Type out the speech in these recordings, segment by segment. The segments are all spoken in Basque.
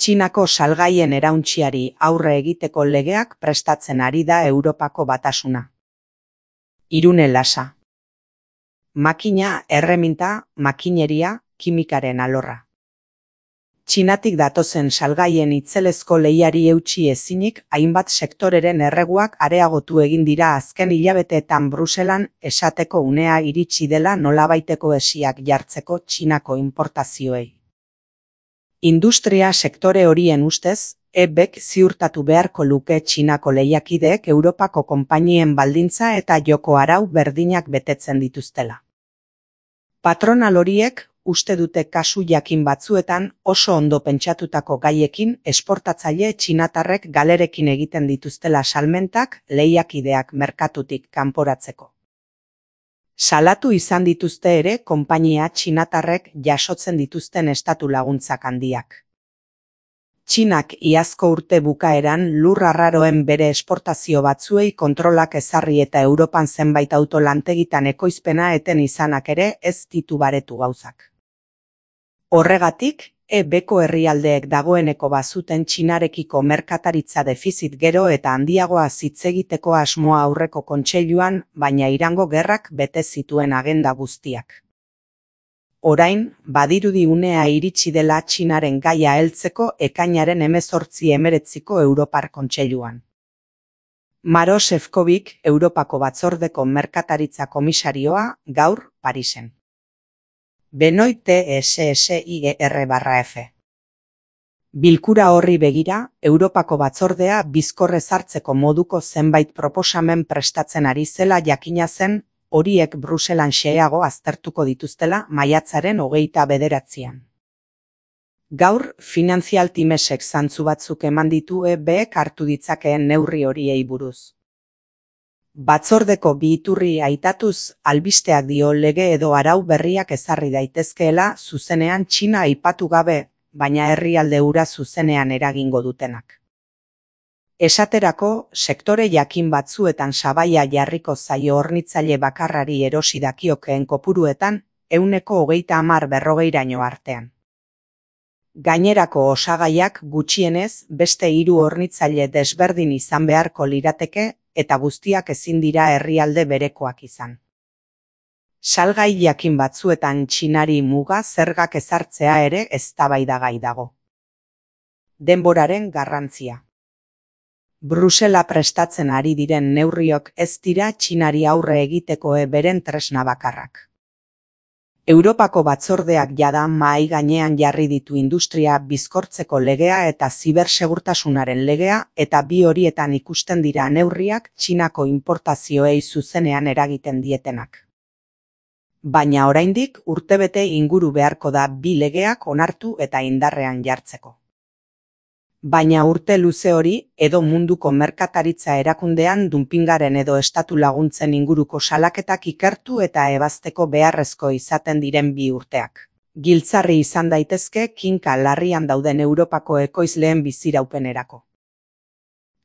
Txinako salgaien erauntsiari aurre egiteko legeak prestatzen ari da Europako Batasuna. Irune Lasa. Makina, erreminta, makineria, kimikaren alorra. Txinatik datozen salgaien itzelezko lehiari eutsi ezinik, hainbat sektoreren erreguak areagotu egin dira azken hilabeteetan Bruselan esateko unea iritsi dela nolabaiteko hesiak jartzeko Txinako inportazioei. Industria sektore horien ustez, EBek ziurtatu beharko luke Txinako lehiakideek Europako konpainien baldintza eta joko arau berdinak betetzen dituztela. Patronal horiek uste dute kasu jakin batzuetan oso ondo pentsatutako gaiekin esportatzaile txinatarrek galerekin egiten dituztela salmentak lehiakideak merkatutik kanporatzeko. Salatu izan dituzte ere konpainia txinatarrek jasotzen dituzten estatu laguntzak handiak. Txinak iazko urte bukaeran lur arraroen bere esportazio batzuei kontrolak ezarri eta Europan zenbait auto lantegitan ekoizpena eten izanak ere ez ditu baretu gauzak. Horregatik, EBko herrialdeek dagoeneko bazuten Txinarekiko merkataritza defizit gero eta handiagoa hitz egiteko asmoa aurreko kontseiluan, baina Irango gerrak bete zituen agenda guztiak. Orain, badirudi unea iritsi dela Txinaren gaia heltzeko ekainaren 18-19ko Europar Kontseiluan. Maroš Šefčovič, Europako Batzordeko merkataritza komisarioa, gaur Parisen. Benoit TSSIGR/F. Bilkura horri begira, Europako Batzordea bizkorrez hartzeko moduko zenbait proposamen prestatzen ari zela jakina zen, horiek Bruselan xeheago aztertuko dituztela maiatzaren 29an. Gaur, Financial Timesek zantzu batzuk eman ditu EBek hartu ditzakeen neurri horiei buruz. Batzordeko bi iturri aitatuz, albisteak dio lege edo arau berriak ezarri daitezkeela zuzenean Txina aipatu gabe, baina herrialde hura zuzenean eragingo dutenak. Esaterako, sektore jakin batzuetan sabaia jarriko zaio hornitzaile bakarrari erosi dakiokeen kopuruetan, 130-40 artean. Gainerako osagaiak gutxienez beste 3 hornitzaile desberdin izan beharko lirateke eta guztiak ezin dira herrialde berekoak izan. Salgai jakin batzuetan Txinari muga zergak ezartzea ere eztabaidagai dago. Denboraren garrantzia. Brusela prestatzen ari diren neurriok ez dira Txinari aurre egiteko beren tresna bakarrak. Europako Batzordeak jada mahai gainean jarri ditu industria bizkortzeko legea eta zibersegurtasunaren legea eta bi horietan ikusten dira neurriak Txinako inportazioei zuzenean eragiten dietenak. Baina oraindik urtebete inguru beharko da bi legeak onartu eta indarrean jartzeko. Baina urte luze hori edo munduko merkataritza erakundean dumpingaren edo estatu laguntzen inguruko salaketak ikertu eta ebazteko beharrezko izaten diren bi urteak. Giltzarri izan daitezke kinka larrian dauden Europako ekoizleen biziraupenerako.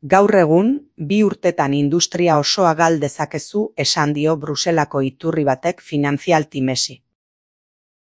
Gaur egun, 2 urtetan industria osoa gal dezakezu esan dio Bruselako iturri batek Financial Timesi.